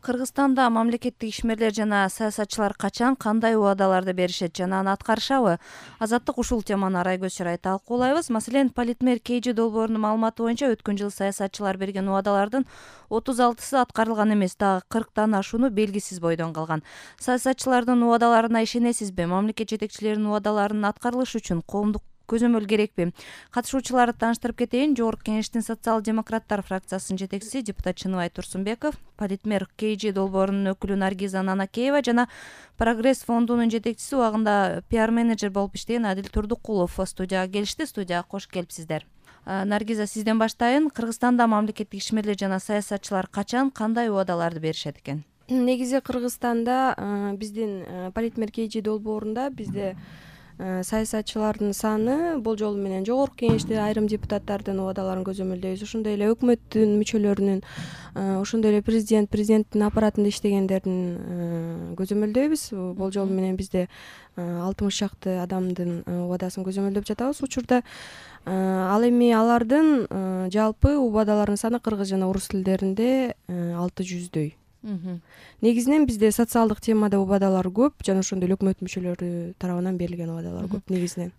Кыргызстанда мамлекеттик ишмерлер жана саясатчылар качан кандай убадаларды беришет жана аны аткарышабы? Азаттык ушул теманы Арайгөз Шырай талкуулайбыз. Маселен, Политмер КЖ долбоорунун маалыматы боюнча өткөн жылы саясатчылар берген убадалардын 36сы аткарылган эмес, дагы 40тан ашууну белгисиз бойдон калган. Саясатчылардын убадаларына ишенесизби? Мамлекет жетекчилеринин убадаларынын аткарылышы үчүн коомдук көзөмөл керекпи? Катышуучуларды тааныштырып кетейин. Жогорку Кеңештин социал-демократтар фракциясынын жетекчиси депутат Чыныбай Турсунбеков, Политмер КЖ долбоорунун өкүлү Наргиза Нанакеева жана Прогресс фондунун жетекчиси убагында пиар-менеджер болуп иштеген Адил Турдукулов студияга келишти. Студияга кош келипсиздер. Наргиза, сизден баштайын. Кыргызстанда мамлекеттик ишмерлер жана саясатчылар качан кандай убадаларды беришет экен? Негизи Кыргызстанда биздин Политмер КЖ долбоорунда бизде саясатчылардын саны болжолу менен жогорку кеңеште айрым депутаттардын убадаларын көзөмөлдөйбүз. Ошондой эле өкмөттүн мүчөлөрүнүн, ошондой эле президенттин аппаратында иштегендердин көзөмөлдөйбүз. Болжолу менен бизде 60 чакты адамдын убадасын көзөмөлдөп жатабыз учурда. Ал эми алардын жалпы убадаларынын саны кыргыз жана орус тилдеринде 600дөй. Негизинен бизде социалдык темада убадалар көп жана ошондой эле өкмөт мүчөлөрү тарабынан берилген убадалар көп негизинен.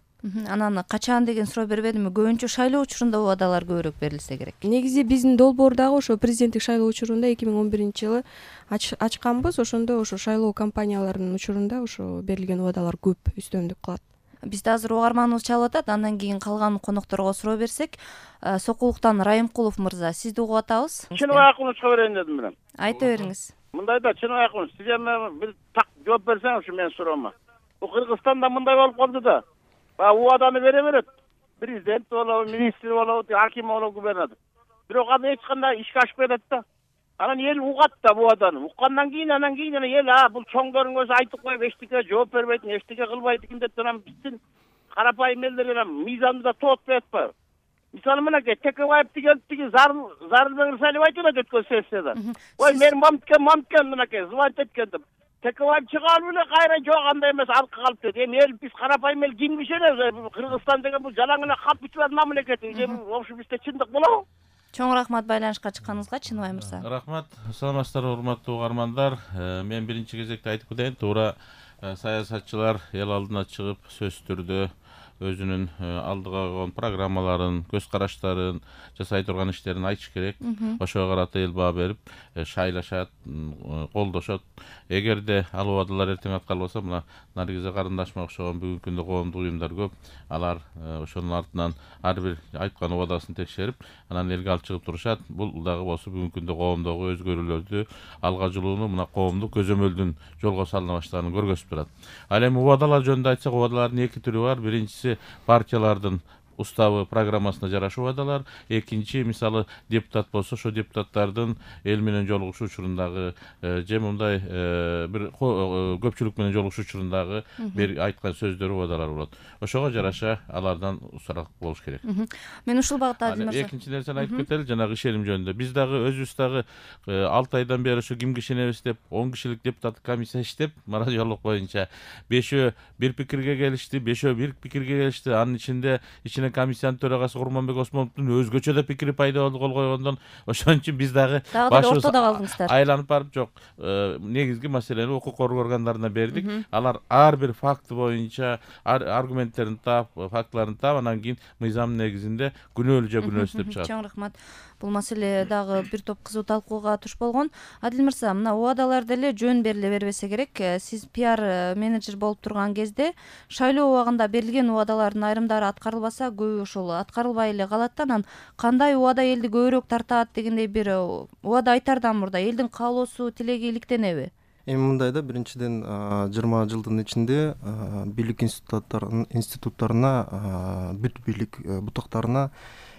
Анан качан деген суроо бербедимби? Көбүнчө шайлоо учурунда убадалар көбүрөөк берилсе керек. Негизи биздин долбоордагы ошо президенттик шайлоо учурунда 2011-жылы ачканбыз. Ошондо ошо шайлоо кампанияларынын учурунда ошо берилген убадалар көп үстөмдүк кылат. Бизде азыр угарманыбыз чалып атат. Андан кийин калган конокторго суроо берсек, Сокулуктан Райымкулов мырза, сизди угуп атабыз. Чыныбай Акуновичке берейин дедим мен. Айта бериңиз. Мындай да, Чыныбай Акунович, сиз эми бир так жооп берсеңиз ушу менин суроомо. Бул Кыргызстанда мындай болуп калды да. Убаданы бере берет. Президент болобу, министр болобу, аким болобу, губернатор. Бирок аны эч кандай ишке ашпай атат да. Анан эл угат да убаданы. Уккандан кийин эл бул чоңдордун өзү айтып коюп эчтеке жооп бербейт, эчтеке кылбайт экен деп анан биздин карапайым элдер анан мыйзамда тоотпай атпайбы? Мисалы мынакей Текебаев деген зарыл Меңирсалиев айтып атат өткөн сессияда. Ой, мен мамткен мынакей звонить эткен деп. Текебаев чыгарып эле кайра жок андай эмес, аркы калып деди. Эми эл биз карапайым эл кимге ишенебиз? Кыргызстан деген бул жалаң эле калпчылар мамлекети. Эми ошо бизде чындык болобу? Чоң рахмат байланышка чыкканыңызга, Чыныбай мырза. Рахмат. Саламатсыздарбы, урматтуу угармандар. Мен биринчи кезекте айтып кетейин, туура саясатчылар эл алдына чыгып сөзсүз түрдө өзүнүн алдыга койгон программаларын, көз караштарын, жасай турган иштерин айтыш керек. Ошого карата эл баа берип, шайлашат, колдошот. Эгерде ал убадалар эртең аткарылбаса, мына Наргиза карындашыма окшогон бүгүнкү күндө коомдук уюмдар көп. Алар ошонун артынан ар бир айткан убадасын текшерип, анан элге алып чыгып турушат. Бул дагы болсо бүгүнкү күндө коомдогу өзгөрүүлөрдү, алга жылууну мына коомдук көзөмөлдүн жолго салына баштаганын көргөзүп турат. Ал эми убадалар жөнүндө айтсак, убадалардын эки түрү бар. Биринчиси партиялардын уставы программасына жараша убадалар. Экинчи, мисалы, депутат болсо, ошо депутаттардын эл менен жолугушуу учурундагы же мындай бир көпчүлүк менен жолугушуу учурундагы бир айткан сөздөрү убадалар болот. Ошого жараша алардан сурак болуш керек. Мен ушул багытта Адил мырза. Экинчи нерсени айтып кетели, жанагы ишеним жөнүндө. Биз дагы өзүбүз дагы 6 айдан бери ошо кимге ишенебиз деп 10 кишилик депутаттык комиссия иштеп, моральдуулук боюнча 5өө бир пикирге келишти, 5өө бир пикирге келишти. Анын ичинде комиссиянын төрагасы Курманбек Осмоновдун өзгөчө да пикири пайда болду кол койгондон. Ошон үчүн биз дагы ортодо калдыңыздар. Айланып барып жок. Негизги маселени укук коргоо органдарына бердик. Алар ар бир факты боюнча аргументтерин таап, фактыларын таап, анан кийин мыйзамдын негизинде күнөөлүү же күнөөсүз деп чыгат. Чоң рахмат. Бул маселе дагы бир топ кызуу талкууга туш болгон. Адил мырза, мына убадалар деле жөн бериле бербесе керек. Сиз пиар менеджер болуп турган кезде шайлоо убагында берилген убадалардын айрымдары аткарылбаса, көбү ошол аткарылбай эле калат. Анан кандай убада элди көбүрөөк тартат дегендей бир убада айтардан мурда элдин каалоосу, тилеги иликтенеби? Эми мындай да, биринчиден 20 жылдын ичинде бийлик институттарына, бүт бийлик бутактарына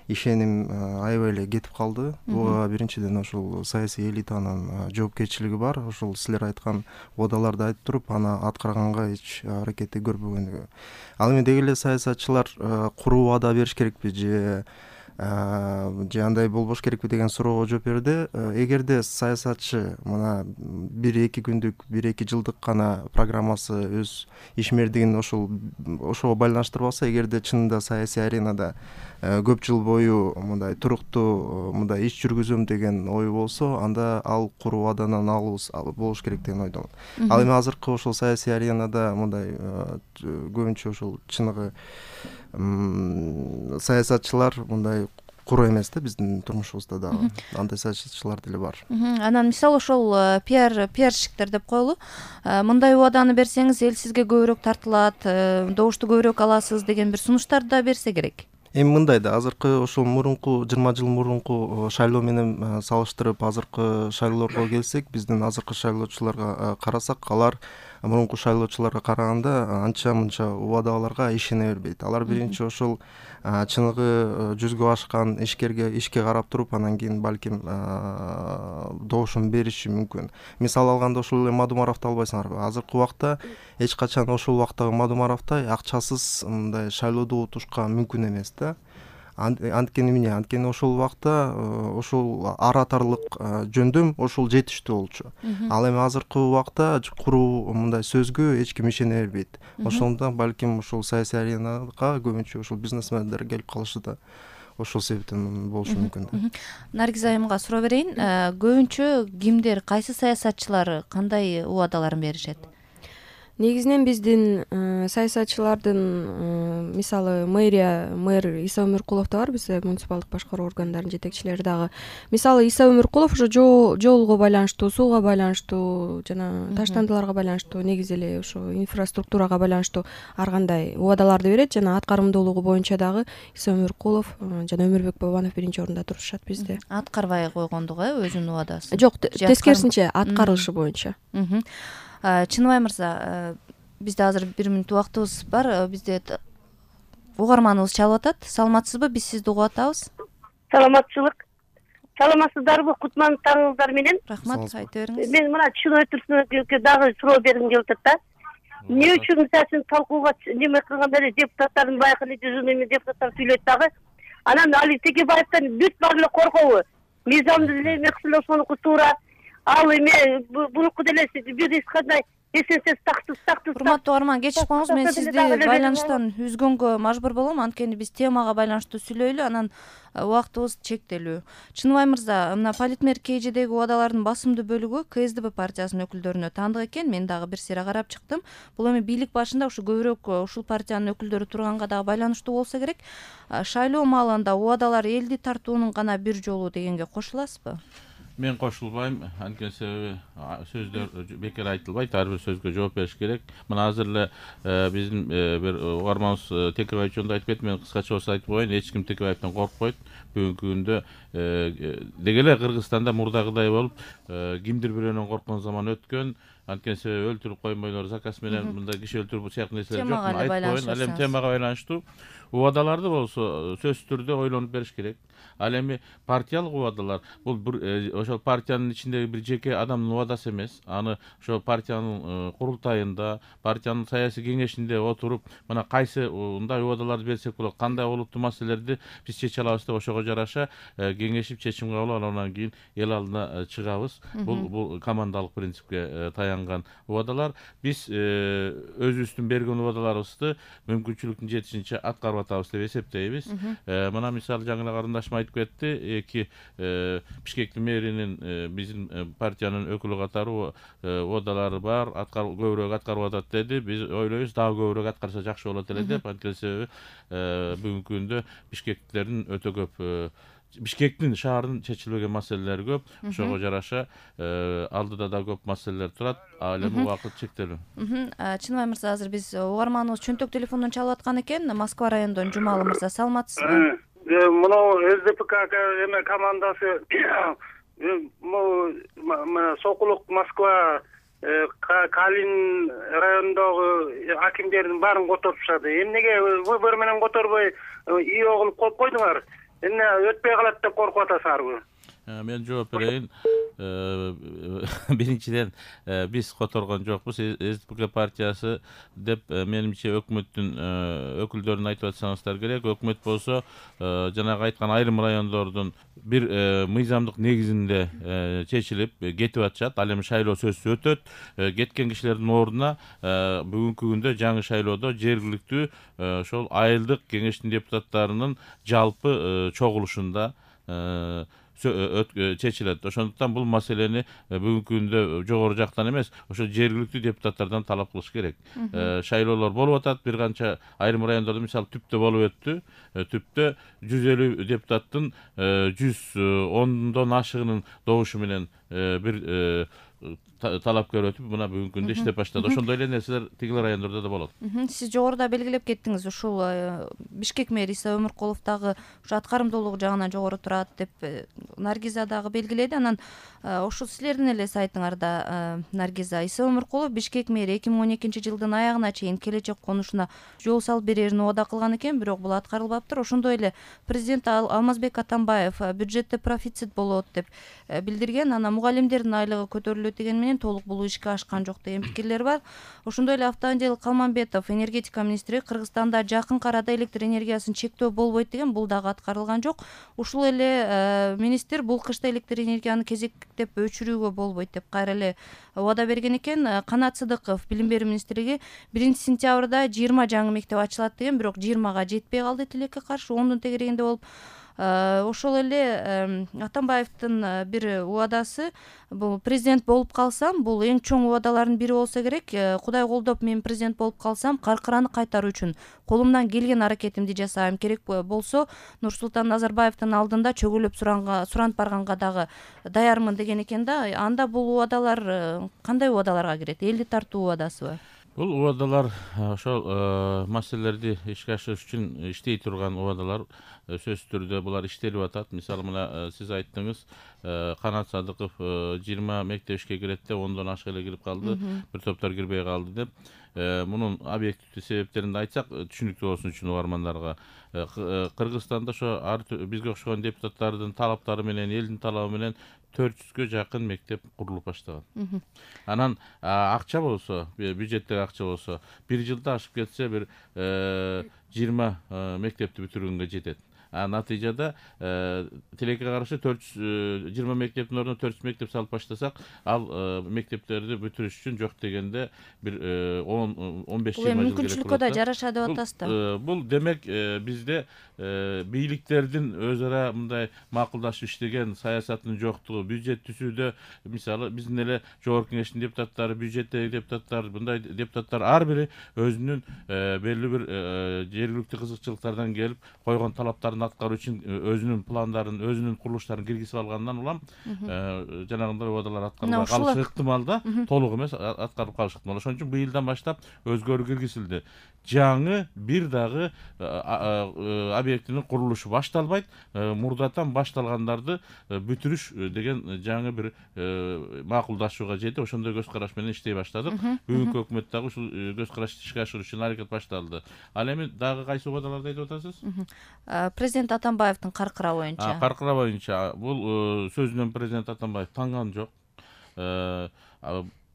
ишеним аябай эле кетип калды. Буга биринчиден ошол саясий элитанын жоопкерчилиги бар. Ошол силер айткан убадаларды айтып туруп, аны аткарганга эч аракетти көрбөгөн. Ал эми деги эле саясатчылар куру убада бериш керекпи же же андай болбош керекпи деген суроого жооп берди. Эгерде саясатчы мына 1-2 күндүк 1-2 жылдык гана программасы өз ишмердигин ошого байланыштырбаса, эгерде чынында саясий аренада көп жыл бою мындай туруктуу мындай иш жүргүзөм деген ою болсо, анда ал куру абадан алыс болуш керек деген ойдомун. Ал эми азыркы ошол саясий аренада мындай көбүнчө ошол чыныгы саясатчылар мындай куру эмес да, биздин турмушубузда дагы андай саясатчылар деле бар. Анан мисалы ошол пиарщиктер деп коелу, мындай убаданы берсеңиз эл сизге көбүрөөк тартылат, добушту көбүрөөк аласыз деген бир сунуштарды да берсе керек. Эми мындай да, азыркы ошол мурунку 20 жыл мурунку шайлоо менен салыштырып азыркы шайлоолорго келсек, биздин азыркы шайлоочуларга карасак, алар мурунку шайлоочуларга караганда анча мынча убадаларга ишене бербейт. Алар биринчи ошол чыныгы жүзгө ашкан ишке карап туруп, анан кийин балким добушун бериши мүмкүн. Мисал алганда ошол эле Мадумаровду албайсыңарбы? Азыркы убакта эч качан ошол убактагы Мадумаровдай акчасыз мындай шайлоодо утушка мүмкүн эмес да. Анткени ошол убакта ошол ораторлук жөндөм ошол жетиштүү болчу. Ал эми азыркы убакта куруу мындай сөзгө эч ким ишене бербейт. Ошондон балким ошол саясий аренага көбүнчө ошол бизнесмендер келип калышы да ошол себептен болушу мүмкүн. Наргиз айымга суроо берейин. Көбүнчө кимдер, кайсы саясатчылар кандай убадаларын беришет? Негизинен биздин саясатчылардын мисалы мэр Иса Өмүркулов да бар, бизде муниципалдык башкаруу органдарынын жетекчилери дагы. Мисалы Иса Өмүркулов ошо жолго байланыштуу, сууга байланыштуу жана таштандыларга байланыштуу, негизи эле ошо инфраструктурага байланыштуу ар кандай убадаларды берет. Жана аткарымдуулугу боюнча дагы Иса Өмүркулов жана Өмүрбек Бабанов биринчи орунда турушат бизде. Аткарбай койгондугу өзүнүн убадасын? Жок, тескерисинче аткарылышы боюнча. Чыныбай мырза, бизде азыр 1 мүнөт убактыбыз бар. Бизде угарманыбыз чалып атат. Саламатсызбы? Биз сизди угуп атабыз. Саламатчылык. Саламатсыздарбы? Кутман таңыңыздар менен. Рахмат, айта бериңиз. Мен мына түшүнүп өтүрсүңөр дагы суроо бергим келип атат да. Эмне үчүн мисалы талкууга неме кылганда эле депутаттардын баягы эле жүзүнө эми депутаттар сүйлөйт дагы. Анан Али Текебаевден бүт баары эле коркобу? Мыйзамды деле эме кылса ошонуку туура. Ал эме бурукку деле бир эч кандай эсенсиз тактыз. Урматтуу угарман, кечирип коюңуз, мен сизди байланыштан үзгөнгө мажбур болом, анткени биз темага байланыштуу сүйлөйлү, анан убактыбыз чектелүү. Чыныбай мырза, мына Политмер КЖдеги убадалардын басымдуу бөлүгү КСДП партиясынын өкүлдөрүнө таандык экен. Мен дагы бир сыйра карап чыктым. Бул эми бийлик башында ушу көбүрөөк ушул партиянын өкүлдөрү турганга дагы байланыштуу болсо керек. Шайлоо маалында убадалар элди тартуунун гана бир жолу дегенге кошуласызбы? Мен кошулбайм, анткени себеби сөздөр бекер айтылбайт, ар бир сөзгө жооп бериш керек. Мына азыр эле биздин бир угарманыбыз Текебаев жөнүндө айтып кетти, мен кыскача болсо айтып коеюн, эч ким Текебаевден коркпойт. Бүгүнкү күндө деги эле Кыргызстанда мурдагыдай болуп, кимдир бирөөнөн корккон заман өткөн. Анткени себеби өлтүрүп койбойлор, заказ менен мындай киши өлтүрүп сыяктуу нерселер жок. Айтып коеюн, ал эми темага байланыштуу убадаларды болсо сөзсүз түрдө ойлонуп бериш керек. Ал эми партиялык убадалар бул ошол партиянын ичиндеги бир жеке адамдын убадасы эмес. Аны ошол партиянын курултайында, партиянын саясий кеңешинде отуруп, мына кайсы мындай убадаларды берсек болот, кандай олуттуу маселелерди биз чече алабыз деп ошого жараша кеңешип чечим кабыл алып, анан кийин эл алдына чыгабыз. Бул командалык принципке таянган убадалар. Биз өзүбүздүн берген убадаларыбызды мүмкүнчүлүктүн жетишинче аткарып атабыз деп эсептейбиз. Мына мисалы жаңы эле карындашым айтып кетти, эки Бишкектин мэринин биздин партиянын өкүлү катары убадалары бар, көбүрөөк аткарып атат деди. Биз ойлойбуз, дагы көбүрөөк аткарса жакшы болот эле деп. Анткени себеби бүгүнкү күндө бишкектиктердин өтө көп, Бишкектин шаардын чечилбеген маселелери көп. Ошого жараша алдыда да көп маселелер турат. Ал эми убакыт чектелүү. Чыныбай мырза, азыр биз угарманыбыз чөнтөк телефондон чалып аткан экен. Москва районунан Жумалы мырза, саламатсызбы? Мына СДП эме командасы Сокулук, Москва, Калин районундагы акимдердин баарын которушат. Эмнеге выбор менен которбой үй кылып коюп койдуңар? Эмне өтпөй калат деп коркуп атасыңарбы? Мен жооп берейин. Биринчиден биз которгон жокпуз. СДПК партиясы деп менимче өкмөттүн өкүлдөрүн айтып атсаңыздар керек. Өкмөт болсо жанагы айткан айрым райондордун бир мыйзамдык негизинде чечилип кетип атышат. Ал эми шайлоо сөзсүз өтөт. Кеткен кишилердин ордуна бүгүнкү күндө жаңы шайлоодо жергиликтүү ошол айылдык кеңештин депутаттарынын жалпы чогулушунда чечилет. Ошондуктан бул маселени бүгүнкү күндө жогору жактан эмес, ошо жергиликтүү депутаттардан талап кылыш керек. Шайлоолор болуп атат, бир канча айрым райондордо мисалы Түптө болуп өттү. Түптө 150 депутаттын 110дон ашыгынын добушу менен бир талапкер өтүп, мына бүгүнкү күндө иштеп баштады. Ошондой эле нерселер тигил райондордо да болот. Сиз жогоруда белгилеп кеттиңиз, ушул Бишкек мэри Иса Өмүркулов дагы ушу аткарымдуулугу жагынан жогору турат деп Наргиза дагы белгиледи. Анан ушул силердин эле сайтыңарда Наргиза Иса Өмүркулов Бишкек мэри 2012-жылдын аягына чейин келечек конушуна жол салып берерин убада кылган экен, бирок бул аткарылбаптыр. Ошондой эле президент Алмазбек Атамбаев бюджетте профицит болот деп билдирген. Анан мугалимдердин айлыгы көтөрүлөт деген менен толук бул ишке ашкан жок деген пикирлер бар. Ошондой эле Автоандил Калманбетов энергетика министри Кыргызстанда жакынкы арада электр энергиясын чектөө болбойт деген, бул дагы аткарылган жок. Ушул эле министр бул кышта электр энергияны кезектеп өчүрүүгө болбойт деп кайра эле убада берген экен. Канат Сыдыков билим берүү министрлиги 1-сентябрда 20 жаңы мектеп ачылат деген, бирок 20га жетпей калды, тилекке каршы 10дун тегерегинде болуп. Ошол эле Атамбаевдин бир убадасы, бул президент болуп калсам, бул эң чоң убадалардын бири болсо керек. Кудай колдоп мен президент болуп калсам, каркыраны кайтаруу үчүн колумдан келген аракетимди жасайм, керек болсо Нурсултан Назарбаевдин алдында чөгүлүп суранып барганга дагы даярмын деген экен да. Анда бул убадалар кандай убадаларга кирет? Элди тартуу убадасыбы? Бул убадалар ошол маселелерди ишке ашырыш үчүн иштей турган убадалар. Сөзсүз түрдө булар иштелип атат. Мисалы мына сиз айттыңыз, Канат Садыков 20 мектеп ишке кирет деп 10дон ашык эле кирип калды, бир топтор кирбей калды деп. Мунун объективдүү себептерин айтсак, түшүнүктүү болсун үчүн угармандарга, Кыргызстанда ошо бизге окшогон депутаттардын талаптары менен, элдин талабы менен 400гө жакын мектеп курулуп баштаган. Анан акча болсо, бюджеттеги акча болсо, бир жылда ашып кетсе бир 20 мектепти бүтүргөнгө жетет. Натыйжада тилекке каршы 420 мектептин ордуна 400 мектеп салып баштасак, ал мектептерди бүтүрүш үчүн жок дегенде бир 10-15 жыл керек болот. Мүмкүнчүлүккө да жараша деп атасыз да. Бул демек бизде бийликтердин өз ара мындай макулдашып иштеген саясаттын жоктугу, бюджет түзүүдө мисалы биздин эле жогорку кеңештин депутаттары, бюджеттеги депутаттар, мындай депутаттар ар бири өзүнүн белгилүү бир жергиликтүү кызыкчылыктардан келип койгон талаптарын аткаруу үчүн өзүнүн пландарын, өзүнүн курулуштарын киргизип алгандан улам жанагындай убадалар аткарылбай калышы ыктымал да, толук эмес аткарылып калышы ыктымал. Ошон үчүн быйылдан баштап өзгөрүү киргизилди. Жаңы бир дагы объектинин курулушу башталбайт, мурдатан башталгандарды бүтүрүш деген жаңы бир макулдашууга жетип, ошондой көз караш менен иштей баштадык. Бүгүнкү өкмөт дагы ушул көз карашты ишке ашыруу үчүн аракет башталды. Ал эми дагы кайсы убадаларды айтып атасыз? Президент Атамбаевдин каркыра боюнча. Каркыра боюнча бул сөзүнөн президент Атамбаев танган жок.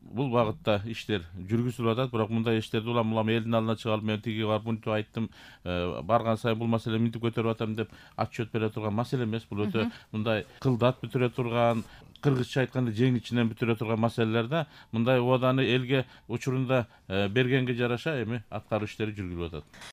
Бул багытта иштер жүргүзүлүп атат, бирок мындай иштерди улам элдин алдына чыга алып, мен тиги бар, мынтип айттым, барган сайын бул маселени мынтип көтөрүп атам деп отчет бере турган маселе эмес. Бул өтө мындай кылдат бүтүрө турган, кыргызча айтканда жең ичинен бүтүрө турган маселелер да. Мындай убаданы элге учурунда бергенге жараша эми аткаруу иштери жүргүзүлүп атат.